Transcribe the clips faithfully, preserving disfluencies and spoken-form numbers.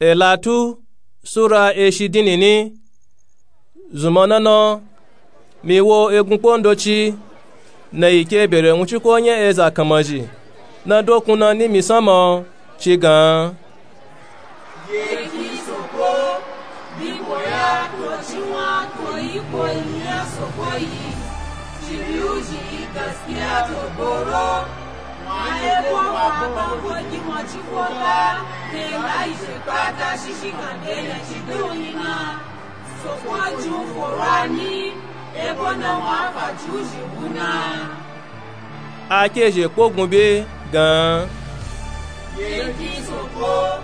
Elatu sura eshi dinini. Zunmọ nana, mi wo egunkpo ndoci na yi ke bere wunciko nya eza kanmazhi na dokun na nimi sanmọ, ci gan. Ye ki Soko, biko ya to ciwa to iko yi ya Soko yi, ci biyu ji yi gaskiya to goro. Wa ebo wa ba ko gi wa ci ko ka, ke la yi se pata shishi ka ke ya ci do yi na. Soko ju foro a ni, ebo na wa fa ju ji wu na. A ke zhe kpogun be gan. Ye ki Soko,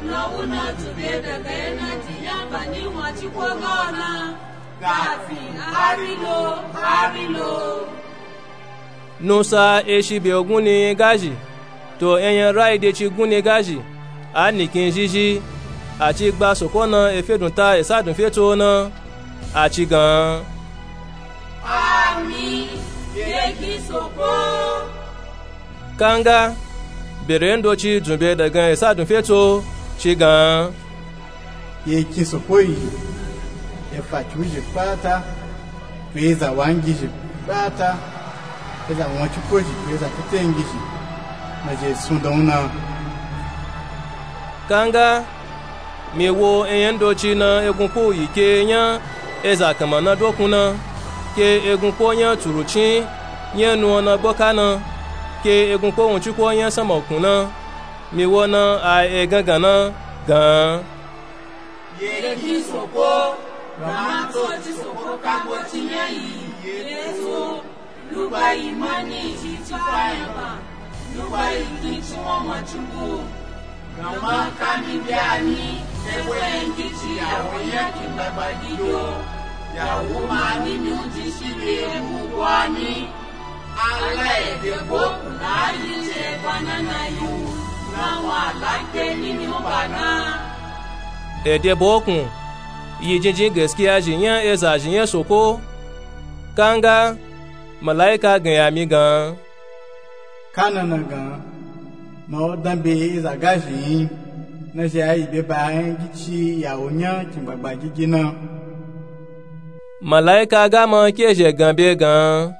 na wu na ju be daga ye na ji ya ba ni wa ci ko ga na. Kafin hari lo, hari lo. Nusa eshi be gunni gazhi, to enyan rayi de ci gunni gazhi, a nikin zhizhi, a ci gba Soko na efe dun ta esa dun fe tso na, a ci gan. Ami, ye ki Soko. Kanga, bere ndoci dzun be dagan esa dun fe tso, ci gan. Ye ki Soko yi, efa ci u zhi pata, to eza wa ngi zhi pata, eza wa ci ko zhi, to eza tete ngi zhi, na zhe sun dan wu na. Kanga, mi wo enyan ndoci na egunkpo yi ke nya eza kanma na dokun na, ke egunkpo nya tsurucin nya nu na gboka na, ke egunkpo wunciko nya sanmọ kun na, mi wo na a egangan na gan. Ye ki Soko, gama to ci Soko ka gbo ci nya yi, ye to. Lugba yi ma ni ci ci fa yan ba, lugba yi ki ci won mo ci bu. Gama ka mi bi a ni, ebo yan gi ci ya wo yan ki gbagba gi yo. Ya wo ma ni mi u ji shi bi ebu gwa ni. Ala ede bo ku na yi ce ba na na yi u, na wa la ke ni mi u ba na. Ede bo ku, yi jinjin gaskiya zhi nya eza zhi nya Soko. Kanga, malaika gan ya mi gan. Ka na na gan, ma o dan be eza gazhi yin, na zhe a yi be ba yan gi ci ya wo nya kin gbagba gigi na. Malaika ga ma ke zhe gan be gan.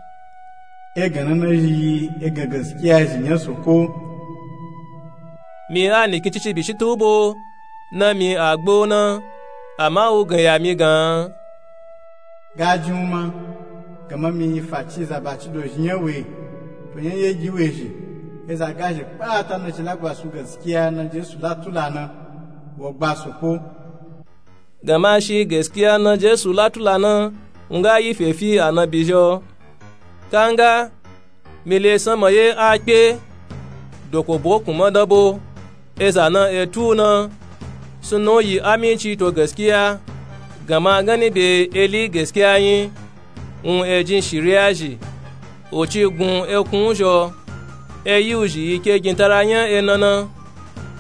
Egan na na yi egan gaskiya zhi nya Soko. Mi a nikin cici bi shi tu bo, na mi a gbo na, ama u gan ya mi gan. Ga jin u ma, gama mi fa ci za ba ci do zhi nya we, to yan ye gi we zhi, eza gazhi pata na ci la gba su gaskiya na Jesu la tula na, wo gba Soko. Gama shi gaskiya na Jesu la tula na, u nga yi fe fi anabi zhi o. Kanga, mi le sanmọ ye a kpe, doko bo kun ma dan bo, eza na e tu na, sunna u yi aminci to gaskiya, gama gani be eli gaskiya yin, un e jin shiriya zhi, u ci gun ekun u zhi o, e yi u zhi yi ke gintara nya ena na,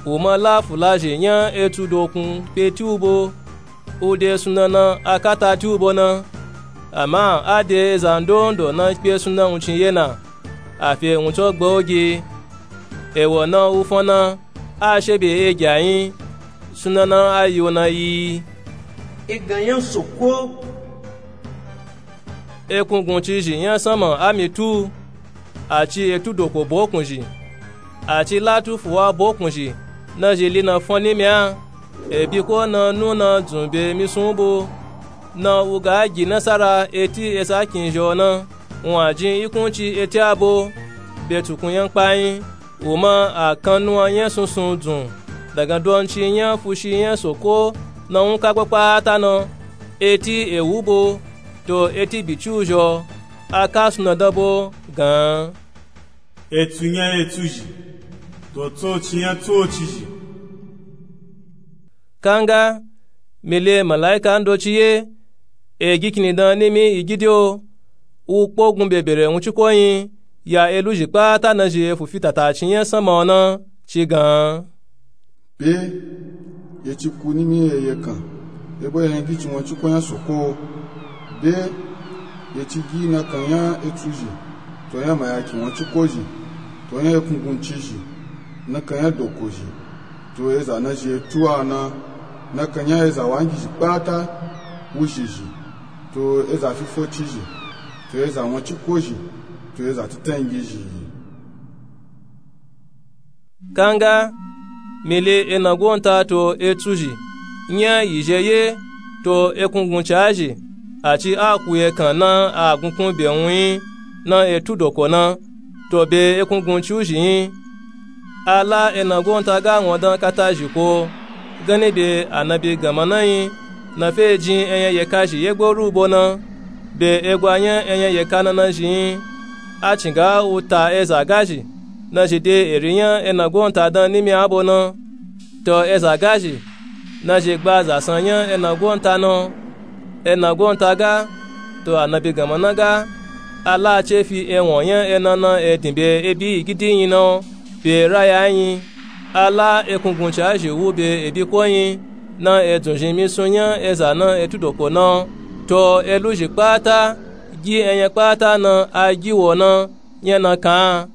u ma la fula zhi nya etu dokun kpe ti u bo. U de sunna na a kata ti u bo na, ama a de eza ndondo na kpe sunna wuncin ye na, a fe wuncin gba u gi. Ewo na u fon na, a she be egya yin, sunna na a yi u na yi. Egan nya Soko. Ekunguncizhi nya sanmọ a mi tu, a ci etu doko bokun zhi, a ci latu fuwa bokun zhi, na zhi li na fọn nimi a, ebi ko na nu na dzun be misun u bo, na u ga gi nasara eti esa kin zhi o na, u a jin ikunci eti a bo, be tukun nya kpayin. U ma a kan nuwa nya sunsun dzun, daga donci nya fushi nya Soko na wun ka gba kpata na, eti ewu bo, to eti biciu zhi o, a ka sunna dan bo gan. Etu nya etu zhi, to tsoci nya tsoci zhi. Kanga, mi le malaika ndoci ye, e gi kinidan nimi igidi o, u kpogun bebere wunciko yin, ya eluzhi kpata na zhi efu fi tataci nya sanma o na, ci gan. Be, ye ci ku nimi eye kan, ebo ye yin gici wunciko nya Soko. Be, ye ci gi nakan nya etu zhi, to nya mayaki wunciko zhi, to nya ekunguncizhi, nakan nya doko zhi. to eza na zhi etu a na, na kanya eza wangizhi kpata, wuzhizhi, to eza fifocizhi, to eza won ciko zhi, to eza titangizhi. Kanga mi le enagonta to etsu zhi nya yizhe ye, to ekungunca zhi, a ci a ku ekan na a gunkun be wun yi na etu doko na, to be ekungunci u zhi yi. A la enagonta ga won dan kata zhi ko, ganni be anabi ganma na yi, na fe jin enyanyeka zhi yegbo rubo na, be egwa nya enyanyeka na na zhi yi. A cin ga u ta eza gazhi na zhi de eri nya enagonta dan nimi abo na, to eza gazhi na zhi gba zasan nya enagonta na, enagonta ga, to anabi ganma na ga, a la ce fi ewon nya ena na e din be ebi gidi yi na, be raya yi. A la ekungunca zhi wu be ebi ko yi na e dzun zhi misun nya eza na etu doko na, to eluzhi kpata, gi enya kpata na a gi wo na, nya na kan.